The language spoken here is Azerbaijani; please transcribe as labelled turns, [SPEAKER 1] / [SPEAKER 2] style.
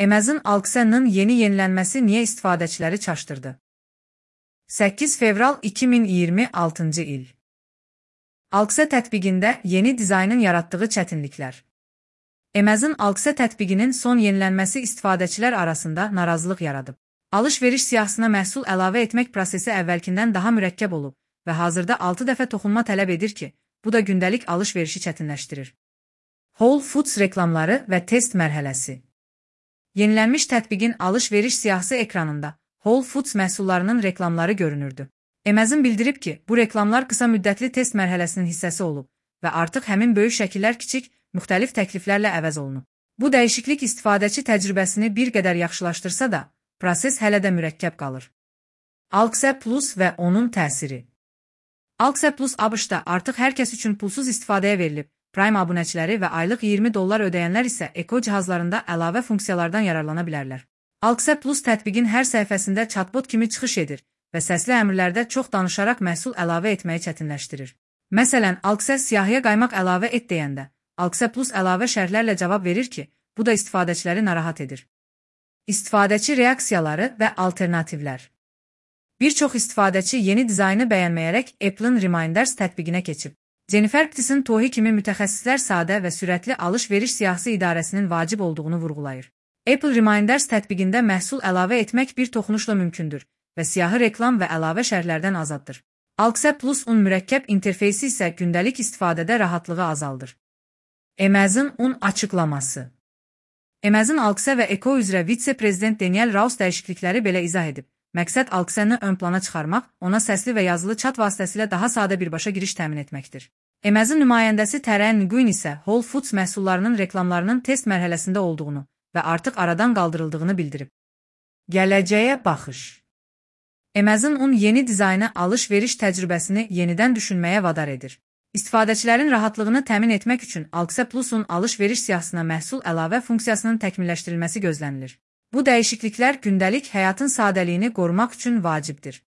[SPEAKER 1] Amazon Alexa-nın yenilənməsi niyə istifadəçiləri çaşdırdı? 8 fevral 2026 il. Alexa tətbiqində yeni dizaynın yaratdığı çətinliklər. Amazon Alexa tətbiqinin son yenilənməsi istifadəçilər arasında narazılıq yaradıb. Alış-veriş siyahısına məhsul əlavə etmək prosesi əvvəlkindən daha mürəkkəb olub və hazırda 6 dəfə toxunma tələb edir ki, bu da gündəlik alış-verişi çətinləşdirir. Whole Foods reklamları və test mərhələsi. Yenilənmiş tətbiqin alış-veriş siyahısı ekranında Whole Foods məhsullarının reklamları görünürdü. Amazon bildirib ki, bu reklamlar qısa müddətli test mərhələsinin hissəsi olub və artıq həmin böyük şəkillər kiçik, müxtəlif təkliflərlə əvəz olunub. Bu dəyişiklik istifadəçi təcrübəsini bir qədər yaxşılaşdırsa da, proses hələ də mürəkkəb qalır. Alexa Plus və onun təsiri. Alexa Plus ABŞ-da artıq hər kəs üçün pulsuz istifadəyə verilib. Prime abunəçiləri və aylıq $20 ödəyənlər isə Echo cihazlarında əlavə funksiyalardan yararlana bilərlər. Alexa Plus tətbiqin hər səhifəsində chatbot kimi çıxış edir və səsli əmrlərdə çox danışaraq məhsul əlavə etməyi çətinləşdirir. Məsələn, Alexa siyahıya qaymaq əlavə et deyəndə, Alexa Plus əlavə şərhlərlə cavab verir ki, bu da istifadəçiləri narahat edir. İstifadəçi reaksiyaları və alternativlər. Bir çox istifadəçi yeni dizaynı bəyənməyərək Apple'ın Reminders tətbiqinə keçib. Jennifer Ptis'in TOHI kimi mütəxəssislər sadə və sürətli alış-veriş siyahısı idarəsinin vacib olduğunu vurğulayır. Apple Reminders tətbiqində məhsul əlavə etmək bir toxunuşla mümkündür və siyahı reklam və əlavə şərhlərdən azaddır. Alexa Plus-un mürəkkəb interfeysi isə gündəlik istifadədə rahatlığı azaldır. Amazon açıqlaması. Amazon Alexa və Echo üzrə vitse-prezident Daniel Rouse dəyişiklikləri belə izah edib. Məqsəd Alexa-nı ön plana çıxarmaq, ona səsli və yazılı chat vasitəsilə daha sadə birbaşa giriş təmin etməkdir. Amazon nümayəndəsi Taryn Nguyen isə Whole Foods məhsullarının reklamlarının test mərhələsində olduğunu və artıq aradan qaldırıldığını bildirib. Gələcəyə baxış. Amazon yeni dizaynı alış-veriş təcrübəsini yenidən düşünməyə vadar edir. İstifadəçilərin rahatlığını təmin etmək üçün Alexa Plus-un alış-veriş siyahısına məhsul əlavə funksiyasının təkmilləşdirilməsi gözlənilir. Bu dəyişikliklər gündəlik həyatın sadəliyini qorumaq üçün vacibdir.